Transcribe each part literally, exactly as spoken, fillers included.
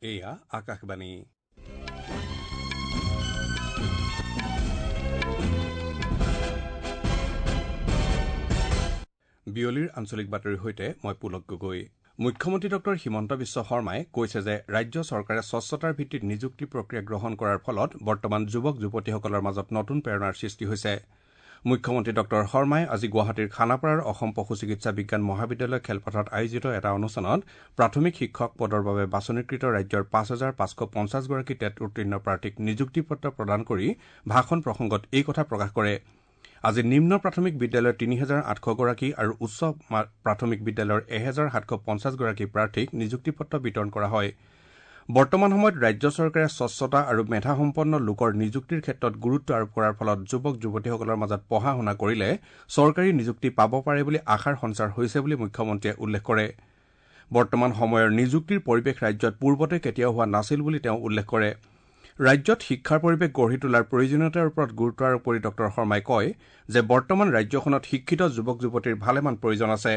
এয়া আকাশবাণী। বিয়লিৰ আঞ্চলিক বাতৰিৰ সৈতে মই পুলক গগৈ। মুখ্যমন্ত্ৰী ডক্টৰ হিমন্ত বিশ্ব শৰ্মাই কৈছে যে ৰাজ্য চৰকাৰে স্বচ্ছতাৰ ভিত্তিত নিযুক্তি প্ৰক্ৰিয়া গ্ৰহণ কৰাৰ ফলত বৰ্তমান যুৱক যুৱতীসকলৰ মাজত নতুন প্ৰেৰণাৰ সৃষ্টি হৈছে। মুখ্যমন্ত্ৰী ডক্টৰ শৰ্মাই আজি গুৱাহাটীৰ খানাপাৰাৰ অসম পশু চিকিৎসা বিজ্ঞান মহাবিদ্যালয় খেলপথাৰত আয়োজিত এটা অনুষ্ঠানত প্ৰাথমিক শিক্ষক পদৰ বাবে বাছনিকৃত ৰাজ্যৰ পাঁচ হাজাৰ পাঁচশ পঞ্চাছগৰাকী টেট উত্তীৰ্ণ প্ৰাৰ্থীক নিযুক্তি পত্ৰ প্ৰদান কৰি ভাষণ প্ৰসংগত এই কথা প্ৰকাশ কৰে। আজি নিম্ন প্ৰাথমিক বিদ্যালয়ৰ তিনি হাজাৰ আঠশগৰাকী আৰু উচ্চ প্ৰাথমিক বিদ্যালয়ৰ এহেজাৰ সাতশ পঞ্চাছগৰাকী প্ৰাৰ্থীক নিযুক্তি পত্ৰ বিতৰণ কৰা হয়। বৰ্তমান সময়ত ৰাজ্য চৰকাৰে স্বচ্ছতা আৰু মেধাসম্পন্ন লোকৰ নিযুক্তিৰ ক্ষেত্ৰত গুৰুত্ব আৰোপ কৰাৰ ফলত যুৱক যুৱতীসকলৰ মাজত পঢ়া শুনা কৰিলে চৰকাৰী নিযুক্তি পাব পাৰে বুলি আশাৰ সঞ্চাৰ হৈছে বুলি মুখ্যমন্ত্ৰীয়ে উল্লেখ কৰে। বৰ্তমান সময়ৰ নিযুক্তিৰ পৰিৱেশ ৰাজ্যত পূৰ্বতে কেতিয়াও হোৱা নাছিল বুলি তেওঁ উল্লেখ কৰে। ৰাজ্যত শিক্ষাৰ পৰিৱেশ গঢ়ি তোলাৰ প্ৰয়োজনীয়তাৰ ওপৰত গুৰুত্ব আৰোপ কৰি ডক্টৰ শৰ্মাই কয় যে বৰ্তমান ৰাজ্যখনত শিক্ষিত যুৱক যুৱতীৰ ভালেমান প্ৰয়োজন আছে।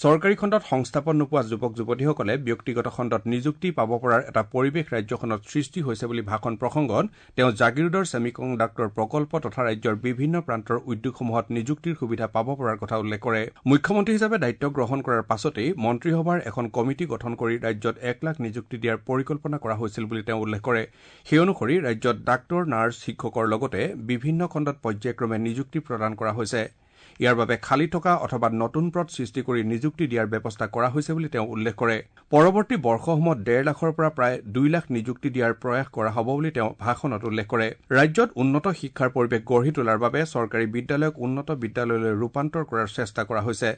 চৰকাৰী খণ্ডত সংস্থাপন নোপোৱা যুৱক যুৱতীসকলে ব্যক্তিগত খণ্ডত নিযুক্তি পাব পৰাৰ এটা পৰিৱেশ ৰাজ্যখনত সৃষ্টি হৈছে বুলি ভাষণ প্ৰসংগত তেওঁ জাগিৰোডৰ ছেমিকণ্ডাক্টৰ প্ৰকল্প তথা ৰাজ্যৰ বিভিন্ন প্ৰান্তৰ উদ্যোগসমূহত নিযুক্তিৰ সুবিধা পাব পৰাৰ কথা উল্লেখ কৰে। মুখ্যমন্ত্ৰী হিচাপে দায়িত্ব গ্ৰহণ কৰাৰ পাছতেই মন্ত্ৰীসভাৰ এখন কমিটি গঠন কৰি ৰাজ্যত এক লাখ নিযুক্তি দিয়াৰ পৰিকল্পনা কৰা হৈছিল বুলি তেওঁ উল্লেখ কৰে। সেই অনুসৰি ৰাজ্যত ডাক্তৰ, নাৰ্ছ, শিক্ষকৰ লগতে বিভিন্ন খণ্ডত পৰ্যায়ক্ৰমে নিযুক্তি প্ৰদান কৰা হৈছে। ইয়াৰ বাবে খালী থকা অথবা নতুন পদ সৃষ্টি কৰি নিযুক্তি দিয়াৰ ব্যৱস্থা কৰা হৈছে বুলি তেওঁ উল্লেখ কৰে। পৰৱৰ্তী বৰ্ষসমূহত ডেৰ লাখৰ পৰা প্ৰায় দুই লাখ নিযুক্তি দিয়াৰ প্ৰয়াস কৰা হ'ব বুলি তেওঁ ভাষণত উল্লেখ কৰে। ৰাজ্যত উন্নত শিক্ষাৰ পৰিৱেশ গঢ়ি তোলাৰ বাবে চৰকাৰী বিদ্যালয়ক উন্নত বিদ্যালয়লৈ ৰূপান্তৰ কৰাৰ চেষ্টা কৰা হৈছে।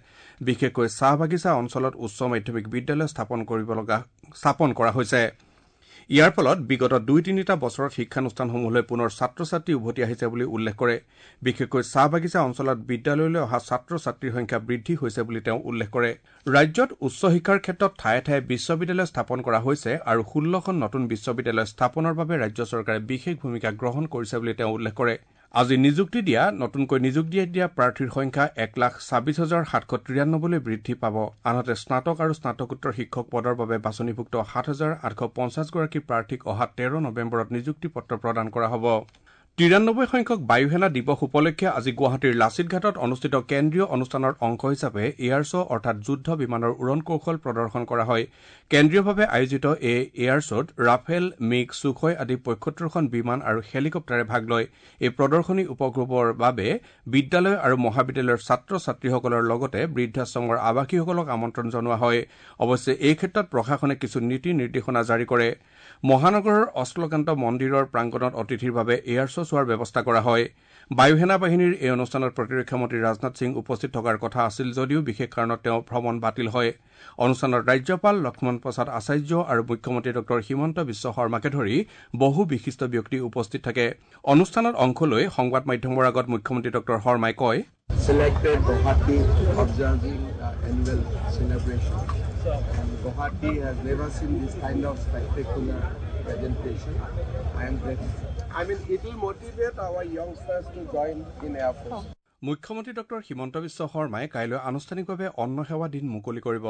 বিশেষকৈ চাহ বাগিচা অঞ্চলত উচ্চ মাধ্যমিক বিদ্যালয় স্থাপন কৰিব লগা স্থাপন কৰা হৈছে। ইয়াৰ ফলত বিগত দুই তিনিটা বছৰত শিক্ষানুষ্ঠানসমূহলৈ পুনৰ ছাত্ৰ ছাত্ৰী উভতি আহিছে বুলি উল্লেখ কৰে। বিশেষকৈ চাহ বাগিচা অঞ্চলত বিদ্যালয়লৈ অহা ছাত্ৰ ছাত্ৰীৰ সংখ্যা বৃদ্ধি হৈছে বুলি তেওঁ উল্লেখ কৰে। ৰাজ্যত উচ্চ শিক্ষাৰ ক্ষেত্ৰত ঠায়ে ঠায়ে বিশ্ববিদ্যালয় স্থাপন কৰা হৈছে আৰু ষোল্লখন নতুন বিশ্ববিদ্যালয় স্থাপনৰ বাবে ৰাজ্য চৰকাৰে বিশেষ ভূমিকা গ্ৰহণ কৰিছে বুলি তেওঁ উল্লেখ কৰে। আজি নিযুক্তি দিয়া নতুনকৈ নিযুক্তি দিয়া প্ৰাৰ্থীৰ সংখ্যা এক লাখ ছাব্বিছ হাজাৰ সাতশ তিৰান্নব্বৈলৈ বৃদ্ধি পাব। আনহাতে স্নাতক আৰু স্নাতকোত্তৰ শিক্ষক পদৰ বাবে বাছনিভুক্ত সাত হাজাৰ আঠশ পঞ্চাছগৰাকী প্ৰাৰ্থীক অহা তেৰ নৱেম্বৰত নিযুক্তি পত্ৰ প্ৰদান কৰা হ'ব। তিৰান্নব্বৈ সংখ্যক বায়ুসেনা দিৱস উপলক্ষে আজি গুৱাহাটীৰ লাচিত ঘাটত অনুষ্ঠিত কেন্দ্ৰীয় অনুষ্ঠানৰ অংশ হিচাপে এয়াৰ শ্ব' অৰ্থাৎ যুদ্ধ বিমানৰ উৰণ কৌশল প্ৰদৰ্শন কৰা হয়। কেন্দ্ৰীয়ভাৱে আয়োজিত এই এয়াৰ শ্ব'ত ৰাফেল, মিগ, ছুখয় আদি পঁয়সত্তৰখন বিমান আৰু হেলিকপ্টাৰে ভাগ লয়। এই প্ৰদৰ্শনী উপভোগৰ বাবে বিদ্যালয় আৰু মহাবিদ্যালয়ৰ ছাত্ৰ ছাত্ৰীসকলৰ লগতে বৃদ্ধাশ্ৰমৰ আৱাসীসকলক আমন্ত্ৰণ জনোৱা হয়। অৱশ্যে এই ক্ষেত্ৰত প্ৰশাসনে কিছু নীতি নিৰ্দেশনা জাৰি কৰে। মহানগৰৰ অশ্লকান্ত মন্দিৰৰ প্ৰাংগণত অতিথিৰ বাবে এয়াৰ শ্ব' চোৱাৰ ব্যৱস্থা কৰা হয়। বায়ুসেনা বাহিনীৰ এই অনুষ্ঠানত প্ৰতিৰক্ষা মন্ত্ৰী ৰাজনাথ সিং উপস্থিত থকাৰ কথা আছিল যদিও বিশেষ কাৰণত তেওঁ ভ্ৰমণ বাতিল হয়। অনুষ্ঠানত ৰাজ্যপাল লক্ষ্মণ প্ৰসাদ আচাৰ্য আৰু মুখ্যমন্ত্ৰী ডক্টৰ হিমন্ত বিশ্ব শৰ্মাকে ধৰি বহু বিশিষ্ট ব্যক্তি উপস্থিত থাকে। অনুষ্ঠানত অংশ লৈ সংবাদ মাধ্যমৰ আগত মুখ্যমন্ত্ৰী ডক্টৰ শৰ্মাই কয়, selected Guwahati observing the annual celebration, and Guwahati has never seen this kind of spectacular presentation. I am grateful. I mean, it will motivate our youngsters to join in Air Force. মুখ্যমন্ত্ৰী doctor Himanta Biswa শৰ্মাই কাইলৈ আনুষ্ঠানিকভাৱে অন্ন সেৱা দিন মুকলি কৰিব।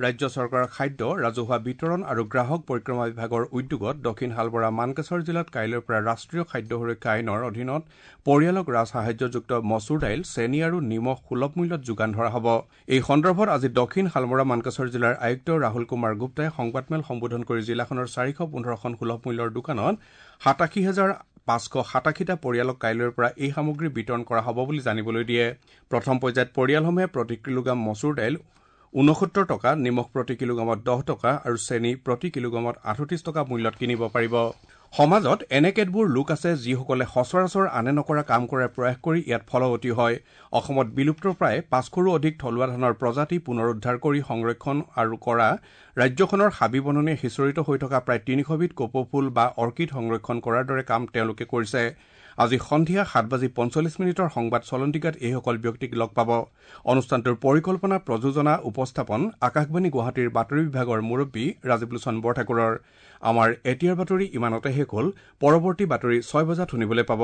ৰাজ্য চৰকাৰৰ খাদ্য, ৰাজহুৱা বিতৰণ আৰু গ্ৰাহক পৰিক্ৰমা বিভাগৰ উদ্যোগত দক্ষিণ শালবৰা মানকাছৰ জিলাত কাইলৈৰ পৰা ৰাষ্ট্ৰীয় খাদ্য সুৰক্ষা আইনৰ অধীনত পৰিয়ালক ৰাজসাহায্যযুক্ত মচুৰ দাইল, চেনি আৰু নিমখ সুলভ মূল্যত যোগান ধৰা হ'ব। এই সন্দৰ্ভত আজি দক্ষিণ শালমৰা মানকাছৰ জিলাৰ আয়ুক্ত ৰাহুল কুমাৰ গুপ্তাই সংবাদমেল সম্বোধন কৰি জিলাখনৰ চাৰিশ পোন্ধৰখন সুলভ মূল্যৰ দোকানত সাতাশী হাজাৰ পাঁচশ সাতাশীটা পৰিয়ালক কাইলৈৰ পৰা এই সামগ্ৰী বিতৰণ কৰা হ'ব বুলি জানিবলৈ দিয়ে। প্ৰথম পৰ্যায়ত পৰিয়ালসমূহে প্ৰতি কিলোগ্ৰাম মচুৰ দাইল ঊনসত্তৰ টকা, নিমখ প্ৰতি কিলোগ্ৰামত দহ টকা আৰু চেনি প্ৰতি কিলোগ্ৰামত আঠত্ৰিশ টকা মূল্যত কিনিব পাৰিব। সমাজত এনে কেতবোৰ লোক আছে যিসকলে সচৰাচৰ আনে নকৰা কাম কৰাৰ প্ৰয়াস কৰি ইয়াত ফলৱতী হয়। অসমত বিলুপ্তপ্ৰায় পাঁচশৰো অধিক থলুৱা ধানৰ প্ৰজাতি পুনৰুদ্ধাৰ কৰি সংৰক্ষণ আৰু কৰা, ৰাজ্যখনৰ হাবি বননিয়ে সিঁচৰিত হৈ থকা প্ৰায় তিনিশবিধ কপৌফুল বা অৰ্কিড সংৰক্ষণ কৰাৰ দৰে কাম তেওঁলোকে কৰিছে। আজি সন্ধিয়া সাত বাজি পঞ্চল্লিছ মিনিটৰ সংবাদ চলন্তিকাত এইসকল ব্যক্তিক লগ পাব। অনুষ্ঠানটোৰ পৰিকল্পনা, প্ৰযোজনা, উপস্থাপন আকাশবাণী গুৱাহাটীৰ বাতৰি বিভাগৰ মুৰব্বী ৰাজীৱ লোচন বৰঠাকুৰৰ। আমাৰ এতিয়াৰ বাতৰি ইমানতে শেষ হ'ল। পৰৱৰ্তী বাতৰি ছয় বজাত শুনিবলৈ পাব।